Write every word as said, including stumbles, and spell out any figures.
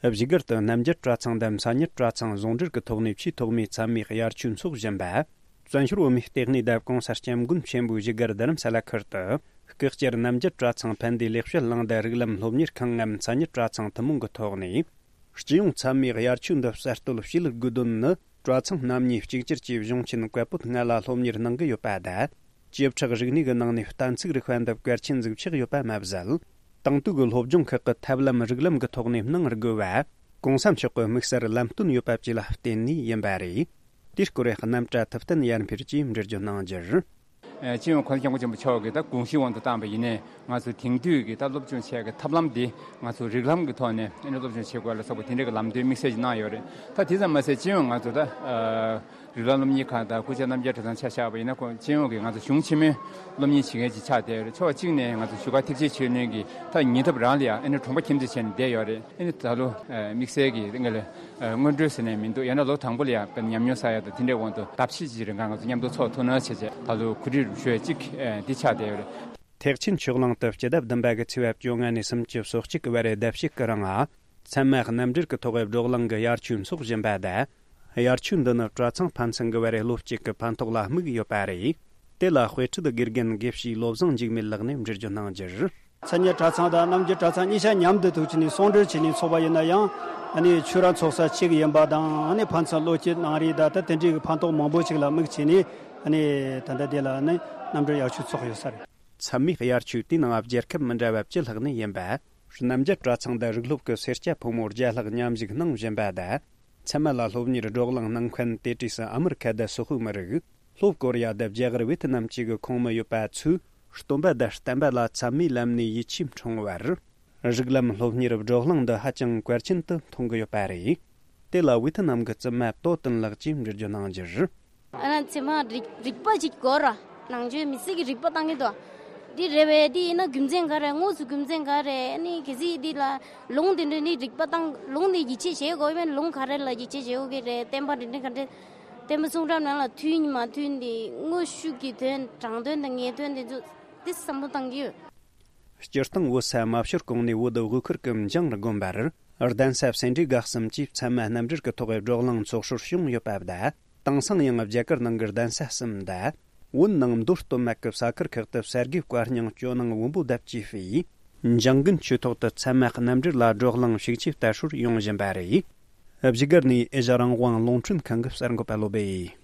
བཞུགས་སྒར་དུ་རྣམ་རྒྱལ་གྲྭ་ཚང་དང་མཚན་ཉིད་གྲྭ་ཚང་ཟུང་འབྲེལ་གྱི་ཐོག་ནས་ཆེས་ཐོག་མའི་མཚན་མོའི་དབྱར་ཆོས་འཚོགས་བཞིན་པ། བཙན་བྱོལ་བོད་མིའི་ལྟེ་གནས་དང་༸གོང་ས་༸སྐྱབས་མགོན་ཆེན་པོའི་བཞུགས་སྒར་རྡ་རམ་ས་ལ་ཁུལ་དུ་སྐུ་བཅར་རྣམ་རྒྱལ་གྲྭ་ཚང་ཕན་བདེ་ལེགས་བཤད་གླིང་དང་རིགས་ལམ་སློབ་གཉེར་ཁང་ངམ་མཚན་ཉིད་གྲྭ་ཚང་ཐུན་མོང་གི་ཐོག་ནས། སྤྱི་ཡོངས་མཚན་མོའི་དབྱར་ཆོས་འདི་གསར་གཏོད་བྱེད་དགོས་དོན་ནི། གྲྭ་ཚང་རྣམ་གཉིས་གཅིག་གྱུར་གྱིས་གཞུང་ཆེན་བཀའ་པོད་ལྔ་ལ་སློབ་གཉེར་གནང་གི་ཡོད་པ་དང་། བཅུ་ཕྲག་རིག་གནས་ཀྱི་ནང་ནས་གཏན་ཚིགས་རིག་པ་འདི་གལ་ཆེན་ཟིག་ཆགས་ཡོད་པ་མ་ཟད། དེང་དུས་ཀྱི་སློབ་སྦྱོང་ཁག་གི་ཐབས་ལམ་རིགས་ལམ་གྱི་ཐོག་ནས་གནང་དགོས་པ། གོང་ས་མཆོག་གི་དམིགས་བསལ་ལམ་སྟོན་ཡོད་པ་བཅས་ལ་བརྟེན་ནས་ཡིན་པ་རེད། དེའི་སྐོར་རྣམ་བཀྲ་ཐུབ་བསྟན་ཡར་འཕེལ་གྱིས་འགྲེལ་བརྗོད་གནང་རྒྱུར། ཨ། སྤྱི་ཡོངས་༸གོང་ས་༸སྐྱབས་མགོན་ཆེན་པོ་མཆོག་གིས་ད་དགོངས་གཞི་དབང་དུ་བཏང་བ་ཡིན་ནའི། ང་ཚོ་དེང་དུས་ཀྱི་ད་སློབ་སྦྱོང་བྱེད་ཀྱི་ཐབས་ལམ་འདི་ང་ཚོ་རིགས་ལམ་གྱི་ཐོག་ནས་ཨ་ནི་སློབ་སྦྱོང་བྱེད་དགོས་ལ་སོགས་པ་དེ་འདྲ་གི་ལམ་སྟོན་དམིགས་བསལ་ཞིག་གནང་ཡོད་རེད། ད་དེ་ཙམ་མ་ཟད་སྤྱི་ཡོངས་ང་ཚོ་ད་ཨ་རིགས་ལམ་སློབ་གཉེར་ཁང་དང་སྐུ་བཅར་རྣམ་རྒྱལ་གྲྭ་ཚང་ཆ་བཞག་པ་ཡིན་ན། ཁོང་སྤྱི་ཡོངས་ཀྱི་ང་ཚོ་གཞུང་ཆེན་མོའི་སློབ་གཉེར་བྱེད་མཁན་ཅིག་ཆགས་བསྡད་ཡོད་རེད། ཕྱོགས་གཅིག་ནས་ང་ཚོ་བཞུགས་སྒར་ཐེག་ཆེན་ཆོས་གླིང་གི་ད་ཉེ་འདབས་རང་ལ་ཡང་ཨ་ནི་གྲོང་པ་ཁྱིམ་མཚེས་བྱས་ནས་བསྡད་ཡོད་རེད། ཨ་ནི་ད་ལོ་ཨ་དམིགས་བསལ་གྱི་ང་ལ་ཨ་སྔོན་འགྲོ་ཟེར་ནས་མི་འདུག་ཡང་ན་ལོ་དང་པོ་ལ་ཡང་ཉམས་མྱོང་བསགས་ཡ་དང་དེ་འདྲའི་དབང་དུ་ཟླ་ཕྱེད་ཅིག་རིང་ག་ང་ཚོ་མཉམ་དུ་ཚོགས་ཐུབ་ན་བྱས་བྱས། ད་ལོ་གོ་སྒྲིག་ཞུ་ཡ་གཅིག་ཨ་འདི་ཆགས་བསྡད་ཡོད་རེད། ཐེག་ཆེན་ཆོས་གླིང་དུ་སྤྱི་ཟླ་བདུན་པ་གི་ཚེས་པ་བཅོ་ལྔ་ནས་སུམ་ཅུ་སོ་གཅིག་གི་བར་ཟླ་ཕྱེད་ཀྱི་རིང་། ཚད་མ་རྣམ་འགྲེལ་གྱི་ཐོག་བགྲོ་གླེང་གི་དབྱར་ཆོས་འཚོགས་བཞིན་པ་དང་། དབྱར་ཆོས་འདི་ནི་གྲྭ་ཚང་ཕན་ཚུན་གྱི་བར་སློབ་གཅིག་གི་ཕན་ཐོགས་ལ་དམིགས་ཡོད་པ་རེད། དེ་ལ་དཔེ་ཁྲིད་དགེ་རྒན་དགེ་བཤེས་བློ་བཟང་འཇིགས་མེད་ལགས་ནས་འགྲེལ་བརྗོད་གནང་རྒྱུར། མཚན་ཉིད་གྲྭ་ཚང་དང་རྣམ་རྒྱལ་གྲྭ་ཚང་གཉིས་ཆ་མཉམ་དུ་ཐུག་ཕྱིན་ནས་ཟུང་འབྲེལ་བྱས་ནས་འཚོགས་པ་ཡིན་ན་ཡང་། ཨ་ནི་ཆོས་ར་འཚོགས་ས་གཅིག་ཡིན་པ་དང་། ཨ་ནི་ཕན་ཚུན་བློ་སྐྱེད་གནང་རེས་དང་ད་དེ་འདྲའི་གི་ཕན་ཐོགས་མང་པོ་ཞིག་ལ་དམིགས་བྱས་ནས། ཨ་ནི་ད་ལྟ་དེ་ལ་ཨ་ནི་རྣམ་གྲོལ་དབྱར་ཆོས་འཚོགས་ཡོད་ས་རེད། མཚན་མོའི་དབྱར་ཆོས་དེའི་ནང་རྒྱལ་ཁབ་མི་འདྲ་བ་བཅུ་ལྷག་ནས་ཡིན་པ། རྣམ་རྒྱལ་གྲྭ་ཚང་དང་རིགས་སློབ་ཀྱི་སེར་སྐྱ་ཕོ་མོ་བརྒྱ་ལྷག་མཉམ་ཞུགས་གནང་བཞིན་པ་དང་། ཚད་མ་ལ་སློབ་གཉེར་བགྲོ་གླེང་གནང་མཁན་དེ་གྲས་སུ་ཨ་མི་རི་ཁ་དང་སོག་པོའི་མི་རིགས། ལྷོ་ཀོ་རི་ཡ་དང་རྒྱ་གར་ཝེ་ཐི་ནམ་བཅས་ཀྱི་ཁོངས་མི་ཡོད་པ་ཚོས། སྟོན་པ་དང་བསྟན་པ་ལ་ཚད་མའི་ལམ་ནས་ཡིད་ཆེས་འཁྲུངས་བར། རིགས་ལམ་སློབ་གཉེར་བགྲོ་གླེང་འདི་ཧ་ཅང་གལ་ཆེན་དུ་མཐོང་གི་ཡོད་པ་རེད། དེ་ལ་ཝེ་ཐི་ནམ་གྱི་བཙུན་མ་ཏོ་ཏིན་ལགས་ཀྱིས་འགྲེལ་བརྗོད་གནང་རྒྱུར། ཨ་ན་ཚད་མ་རིག་རིག་པ་ཅིག་དགོས་ར། ནང་ཆོས་མི་སེར་གྱི་རིག་པ་བཏང་གི་འདུག་འདི་རེད་པས། འདི་ཡིན་ན་རྒྱུ་མཚན་ག་རེ། དངོས་སུ་རྒྱུ་མཚན་ག་རེ། ཨ་ནི་གལ་སྲིད་འདི་ལ་ལུང་དེ་འདྲ་ནི་རིག་པ་བཏང་། ལུང་དེ་ཡིད་ཆེས་བྱེད་དགོས་པས། ལུང་ག་རེ་ལ་ཡིད་ཆེས་བྱེད་དགོས་ཀྱི་རེད། བསྟན་པ་འདི་འདྲ་ག་འདྲ། བསྟན་པ་གསུང་རབ་ནང་ལ་མཐུན་མ་མཐུན་དེ། དངོས་ཤུགས་ཀྱི་དོན། དྲང་དོན་དང་ངེས་དོན་དེ་ཚོ་དེ་བསམ་བློ་བཏང་གི་ཡོད། སྤྱིར་བཏང་བོད་ས་མ་བྱུར་གོང་ནས་བོད་དབུས་ཁུལ་གྱི་འཇང་དགོན་པར་གདན་ས་སེ་འབྲས་དགའ་གསུམ་གྱིས་ཚད་མ་རྣམ་འགྲེལ་གྱི་ཐོག་བགྲོ་གླེང་ཚོགས་སྲོལ་བྱུང་ཡོད་པ་དང་། དེང་སང་ཡང་རྒྱ་གར་ནང་གི་གདན་ས་གསུམ་དང་། བོད་ནང་མདོ་སྟོད་སྨད་ཀྱི་ས་ཁུལ་ཁག་ཏུ་གསེར་དགེ་བཀའ་རྙིང་ཇོ་ནང་བོན་པོ་དང་བཅས་པས། འཇང་དགུན་ཆོས་ཐོག་ཏུ་ཚད་མ་རྣམ་འགྲེལ་ལ་བགྲོ་གླེང་ཤུགས་ཆེ་དར་སྲོལ་ཡོང་བཞིན་པ་རེད། བཞུགས་སྒར་ནས་ཨེ་ཤ་རང་དབང་རླུང་འཕྲིན་ཁང་གི་གསར་འགོད་པ་བློ་སྦེ།